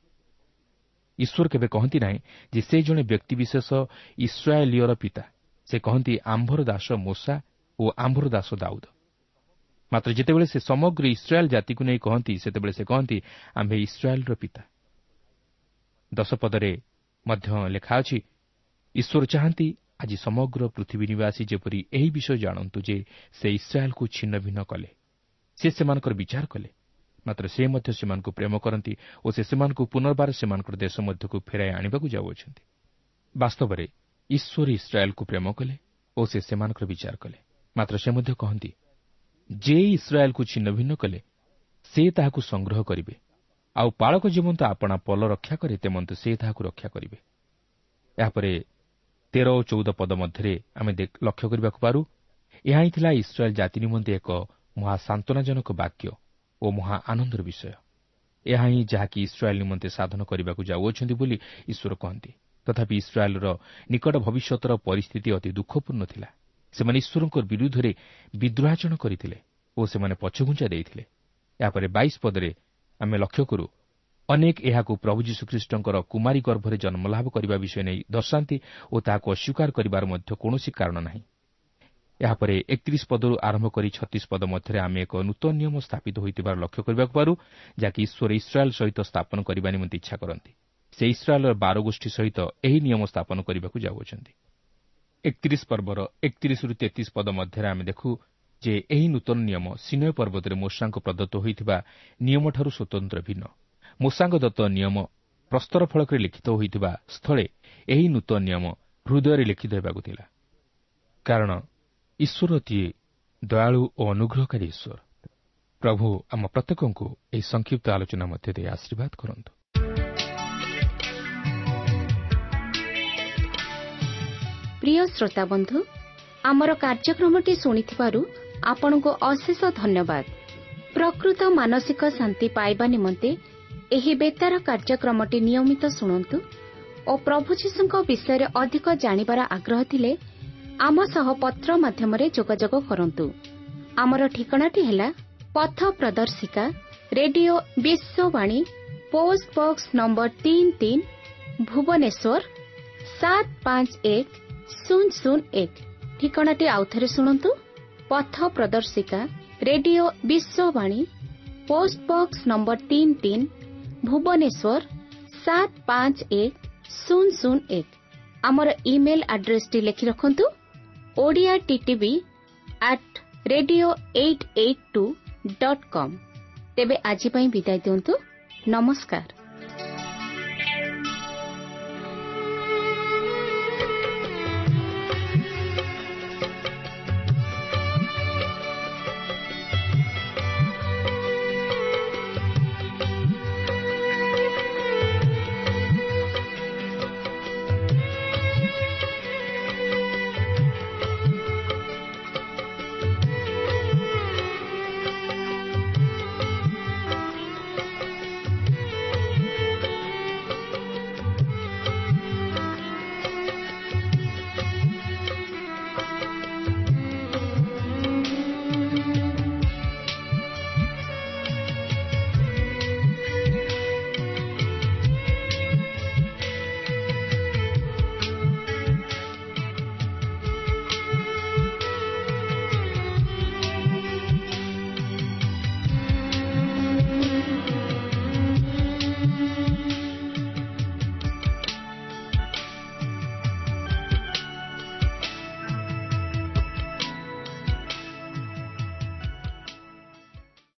ଈଶ୍ୱର କେବେ କହନ୍ତି ନାହିଁ ଯେ ସେ ଜଣେ ବ୍ୟକ୍ତିବିଶେଷ ଇସ୍ରାଏଲୀୟର ପିତା। ସେ କହନ୍ତି ଆମ୍ଭର ଦାସ ମୋଶା ଓ ଆମ୍ଭର ଦାସ ଦାଉଦ। ମାତ୍ର ଯେତେବେଳେ ସେ ସମଗ୍ର ଇସ୍ରାଏଲ୍ ଜାତିକୁ ନେଇ କହନ୍ତି, ସେତେବେଳେ ସେ କହନ୍ତି ଆମ୍ଭେ ଇସ୍ରାଏଲର ପିତା। ଦଶ ପଦରେ ମଧ୍ୟ ଲେଖା ଅଛି, ଈଶ୍ୱର ଚାହାନ୍ତି ଆଜି ସମଗ୍ର ପୃଥିବୀ ନିବାସୀ ଯେପରି ଏହି ବିଷୟ ଜାଣନ୍ତୁ ଯେ ସେ ଇସ୍ରାଏଲକୁ ଛିନ୍ନ ଭିନ୍ନ କଲେ, ସେ ସେମାନଙ୍କର ବିଚାର କଲେ, ମାତ୍ର ସେ ମଧ୍ୟ ସେମାନଙ୍କୁ ପ୍ରେମ କରନ୍ତି ଓ ସେ ସେମାନଙ୍କୁ ପୁନର୍ବାର ସେମାନଙ୍କର ଦେଶ ମଧ୍ୟକୁ ଫେରାଇ ଆଣିବାକୁ ଯାଉଅଛନ୍ତି। ବାସ୍ତବରେ ଈଶ୍ୱର ଇସ୍ରାଏଲକୁ ପ୍ରେମ କଲେ ଓ ସେ ସେମାନଙ୍କର ବିଚାର କଲେ। ମାତ୍ର ସେ ମଧ୍ୟ କହନ୍ତି ଯେ ଇସ୍ରାଏଲକୁ ଛିନ୍ନ ଭିନ୍ନ କଲେ ସେ ତାହାକୁ ସଂଗ୍ରହ କରିବେ, ଆଉ ପାଳକ ଯେମନ୍ତ ଆପଣା ପଲ ରକ୍ଷା କରେ ତେମନ୍ତ ସେ ତାହାକୁ ରକ୍ଷା କରିବେ। ଏହାପରେ ତେର ଓ ଚଉଦ ପଦ ମଧ୍ୟରେ ଆମେ ଲକ୍ଷ୍ୟ କରିବାକୁ ପାରୁ, ଏହା ହିଁ ଥିଲା ଇସ୍ରାଏଲ୍ ଜାତି ନିମନ୍ତେ ଏକ ମହା ସାନ୍ତ୍ୱନାଜନକ ବାକ୍ୟ ଓ ମହା ଆନନ୍ଦର ବିଷୟ। ଏହା ହିଁ ଯାହାକି ଇସ୍ରାଏଲ୍ ନିମନ୍ତେ ସାଧନ କରିବାକୁ ଯାଉଅଛନ୍ତି ବୋଲି ଈଶ୍ୱର କହନ୍ତି। ତଥାପି ଇସ୍ରାଏଲ୍ର ନିକଟ ଭବିଷ୍ୟତର ପରିସ୍ଥିତି ଅତି ଦୁଃଖପୂର୍ଣ୍ଣ ଥିଲା। ସେମାନେ ଈଶ୍ୱରଙ୍କ ବିରୁଦ୍ଧରେ ବିଦ୍ରୋହାଚରଣ କରିଥିଲେ ଓ ସେମାନେ ପଛଘୁଞ୍ଚା ଦେଇଥିଲେ। ଏହାପରେ ବାଇଶ ପଦରେ ଆମେ ଲକ୍ଷ୍ୟ କରୁ, ଅନେକ ଏହାକୁ ପ୍ରଭୁ ଯୀଶୁଖ୍ରୀଷ୍ଟଙ୍କର କୁମାରୀ ଗର୍ଭରେ ଜନ୍ମଲାଭ କରିବା ବିଷୟ ନେଇ ଦର୍ଶାନ୍ତି ଓ ତାହାକୁ ଅସ୍ୱୀକାର କରିବାର ମଧ୍ୟ କୌଣସି କାରଣ ନାହିଁ। ଏହାପରେ ଏକତିରିଶ ପଦରୁ ଆରମ୍ଭ କରି ଛତିଶ ପଦ ମଧ୍ୟରେ ଆମେ ଏକ ନୂତନ ନିୟମ ସ୍ଥାପିତ ହୋଇଥିବାର ଲକ୍ଷ୍ୟ କରିବାକୁ ପାରୁ, ଯାହାକି ଈଶ୍ୱର ଇସ୍ରାଏଲ୍ ସହିତ ସ୍ଥାପନ କରିବା ନିମନ୍ତେ ଇଚ୍ଛା କରନ୍ତି। ସେ ଇସ୍ରାଏଲ୍ର ବାର ଗୋଷ୍ଠୀ ସହିତ ଏହି ନିୟମ ସ୍ଥାପନ କରିବାକୁ ଯାଉଅଛନ୍ତି। ଏକତିରିଶ ପର୍ବର ଏକତିରିଶରୁ ତେତିଶ ପଦ ମଧ୍ୟରେ ଆମେ ଦେଖୁ ଯେ ଏହି ନୂତନ ନିୟମ ସିନୟ ପର୍ବତରେ ମୋଶାଙ୍କ ପ୍ରଦତ୍ତ ହୋଇଥିବା ନିୟମଠାରୁ ସ୍ୱତନ୍ତ୍ର ଭିନ୍ନ। ମୋଶାଙ୍କ ଦତ୍ତ ନିୟମ ପ୍ରସ୍ତର ଫଳକରେ ଲିଖିତ ହୋଇଥିବା ସ୍ଥଳେ ଏହି ନୂତନ ନିୟମ ହୃଦୟରେ ଲିଖିତ ହେବାକୁ ଥିଲା, କାରଣ ଈଶ୍ୱର ଅତି ଦୟାଳୁ ଓ ଅନୁଗ୍ରହକାରୀ ଈଶ୍ୱର। ପ୍ରଭୁ ଆମ ପ୍ରତ୍ୟେକଙ୍କୁ ଏହି ସଂକ୍ଷିପ୍ତ ଆଲୋଚନା ମଧ୍ୟ ଦେଇ ଆଶୀର୍ବାଦ କରନ୍ତୁ। ପ୍ରିୟ ଶ୍ରୋତାବନ୍ଧୁ, ଆମର କାର୍ଯ୍ୟକ୍ରମଟି ଶୁଣିଥିବାରୁ ଆପଣଙ୍କୁ ଅଶେଷ ଧନ୍ୟବାଦ। ପ୍ରକୃତ ମାନସିକ ଶାନ୍ତି ପାଇବା ନିମନ୍ତେ ଏହି ବେତାର କାର୍ଯ୍ୟକ୍ରମଟି ନିୟମିତ ଶୁଣନ୍ତୁ ଓ ପ୍ରଭୁ ଯୀଶୁଙ୍କ ବିଷୟରେ ଅଧିକ ଜାଣିବାର ଆଗ୍ରହ ଥିଲେ ଆମ ସହ ପତ୍ର ମାଧ୍ୟମରେ ଯୋଗାଯୋଗ କରନ୍ତୁ। ଆମର ଠିକଣାଟି ହେଲା ପଥ ପ୍ରଦର୍ଶିକା, radio Vishwavani, post box number ତିନି ତିନି, ଭୁବନେଶ୍ୱର ସାତ ପାଞ୍ଚ ଏକ ଶୂନ ଶୂନ ଏକ। ଠିକଣାଟି ଆଉଥରେ ଶୁଣନ୍ତୁ, ପଥ ପ୍ରଦର୍ଶିକା, radio Vishwavani, post box number ତିନି ତିନି, ଭୁବନେଶ୍ୱର ସାତ ପାଞ୍ଚ ଏକ ଶୂନ ଶୂନ ଏକ। ଆମର ଇମେଲ୍ ଆଡ୍ରେସଟି ଲେଖି ରଖନ୍ତୁ, Odia TTV at radio eight eight two dot com. ତେବେ ଆଜି ପାଇଁ ବିଦାୟ ଦିଅନ୍ତୁ। ନମସ୍କାର।